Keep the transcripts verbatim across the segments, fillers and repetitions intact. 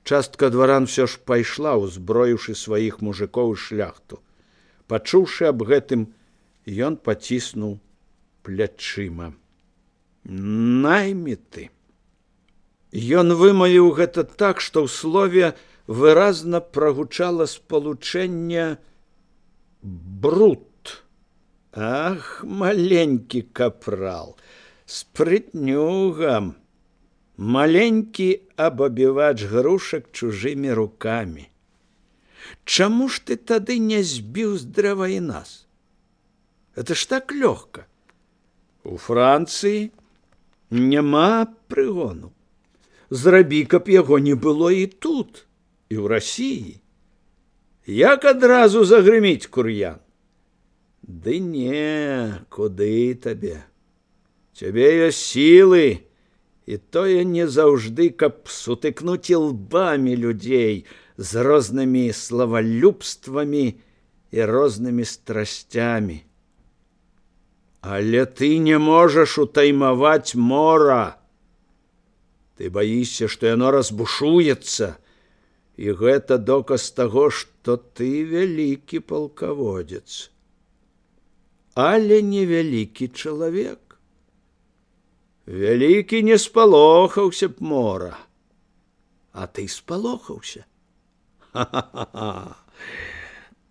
Частка дваран все ж пайшла, узброіўшы сваіх мужикоў і шляхту. Пачуўшы аб гэтым, ён паціснуў плячыма. Найміты. Ён вымавіў гэта так, што ў слове выразна прагучала спалучэнне бруд. Ах, маленькі капрал, спрытнюга, маленькі абабівач грушак чужымі рукамі. Чаму ж ты тады не збіў з дрэва і нас? Это ж так лёгка. У Францыі няма прыгону. Зрабі, каб яго не было і тут, і ў Расіі. Як адразу загрыміць кур'ян? Ды не, куды табе? Цябе ёсць сілы, і тое не заўжды, каб сутыкнуць лбамі людзей з рознымі славалюбствамі і рознымі страсцямі. Але ты не можаш утаймаваць мора. Ты баішся, што яно разбушуецца, і гэта доказ таго, што ты вялікі палкаводзец. Але не вялікі чалавек. Вялікі не спалохаўся б мора. А ты спалохаўся. Ха-ха-ха!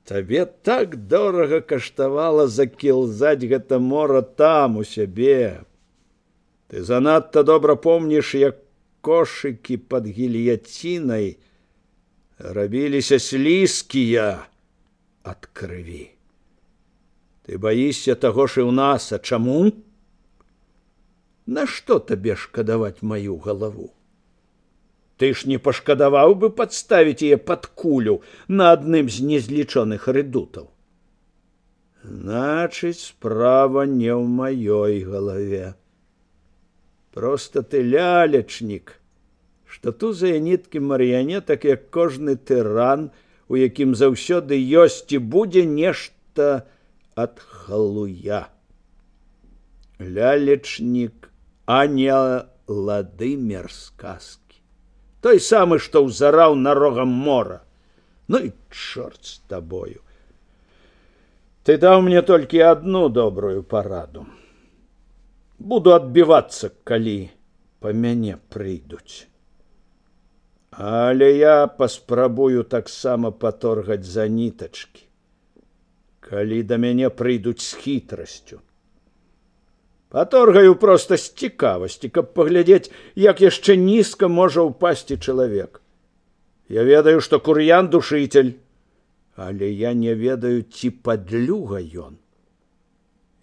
Табе так дорага каштавала закілзаць гэта мора там у сябе. Ты занадта добра помніш, як кошыкі пад гільяцінай рабіліся слізкія ад крыві. Ты баішся таго ж і ў нас, а чаму? Нашто табе шкадаваць маю галаву? Ты ж не пашкадаваў бы падставіць яе пад кулю на адным з незлічоных рэдутаў. Значыць, справа не ў маёй галаве. Проста ты лялечнік, што тузае ніткі марыянетак, як кожны тыран, у якім заўсёды ёсць і будзе нешта ад халуя. Лялечнік, а не Владымир сказкі. Той самы, што ўзараў на рогам мора. Ну і чорт з табою. Ты даў мне толькі адну добрую параду. Буду адбівацца, калі па мяне прыйдуць. Але я паспрабую таксама паторгаць за нітачкі, калі да мяне прыйдуць з хітрасцю. Паторгаю проста з цікавасці, каб паглядзець, як яшчэ нізка можа ўпасці чалавек. Я ведаю, што кур'ян душитель, але я не ведаю, ці падлюга ён.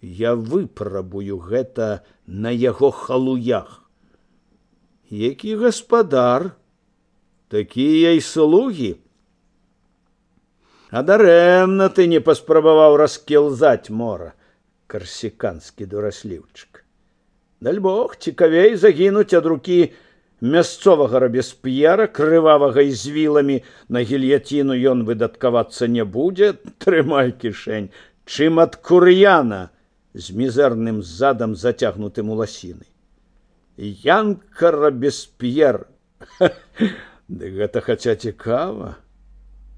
Я выпрабую гэта на яго халуях. Які гаспадар, такія і слугі. А дарэмна ты не паспрабаваў раскілзаць мора, карсіканскі дурасліўчык. Дальбог, цікавей загінуць ад рукі мясцовага рабесп'ера, крывавага і з віламі, на гільяціну ён выдаткавацца не будзе, трымай кішэнь, чым ад кур'яна з мізэрным задам, зацягнутым у ласіны. Янка Рабесп'ер. Ды гэта хаця цікава.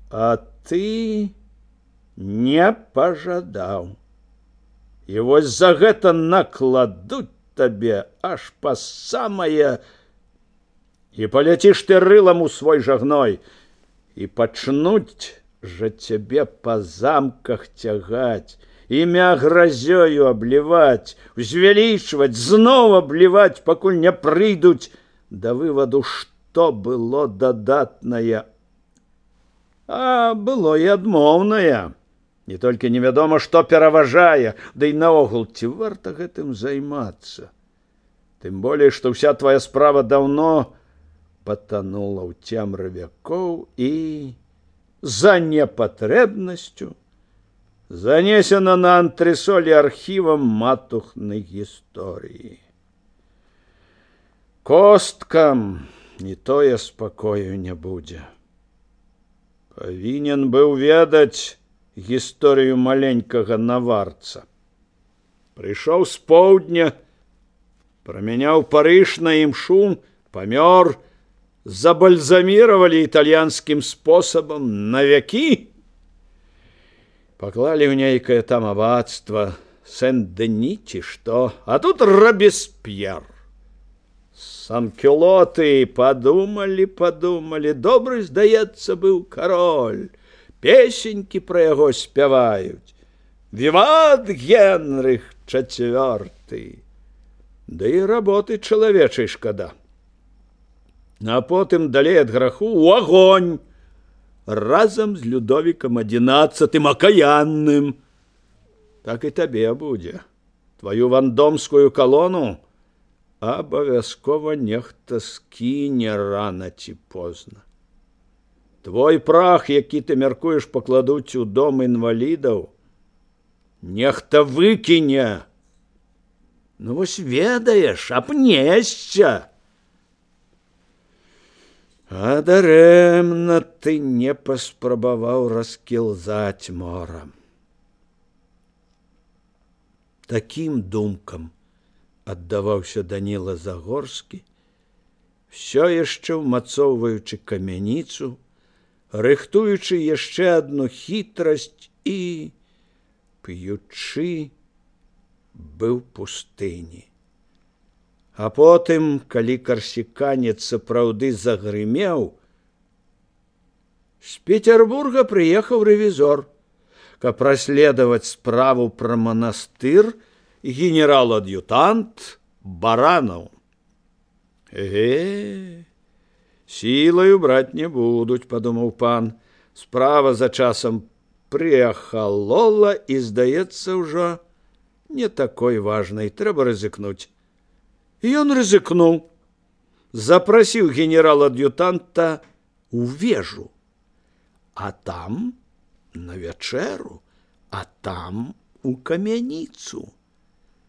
А ты не пажадаў. І вось за гэта накладуць табе аж па самае, і паляціш ты рылам у свой жагной, і пачнуць жа цябе па замках цягаць, імя гразёю абліваць, узвялічваць, зноў абліваць, пакуль не прыйдуць да вываду, што было дадатнае. А было і адмоўнае. Не толькі невядома, што пераважае, ды і наогул, ці варта гэтым займацца. Тым болей, што ўся твая справа даўно патанула ў цемры вякоў і за непатрэбнасцю занесена на антресолі архівам матухнай гісторыі. Косткам і тое спакою не будзе. Павінен быў ведаць гісторыю маленькага наварца. Прыйшоў з поўдня, прамяняў Парыж на імшу, памёр, забальзамировали итальянским способом на веки. Поклали в нейкое там аббатство Сен-Дени, что, а тут Робеспьер. Санкюлоты подумали, подумали, добрый, здаецца, быў король. Песеньки про яго спяваюць. Віват Генрых четвёрты. Да і работы чалавечай шкада. А потым далей ад граху у агонь разам з Людовікам адзінаццатым акаянным. Так і табе будзе. Твою вандомскую калону абавязкова нехта скіне рана ці позна. Твой прах, які ты мяркуеш пакладуць у дом інвалідаў, нехта выкіне. Ну вось ведаеш, абнесся. А дарэмна ты не паспрабаваў раскілзаць морам. Такім думкам аддаваўся Даніла Загорскі, все яшчэ ўмацоўваючы камяніцу, рыхтуючы яшчэ адну хітрасць і п'ючы быў пустыні. А потым, калі карсіканец сапраўды загрымеў, з Петербурга прыехаў рэвізор, каб расследаваць справу пра манастыр, генерал-ад'ютант Баранаў. Э, сілаю браць не будуць, падумаў пан. Справа за часам прыахалола і, здаецца, ўжо не такой важнай. Трэба рызыкнуць. І ён рызыкнуў. Запрасіў генерал-ад'ютанта ў вежу. А там на вячэру, а там у камяніцу.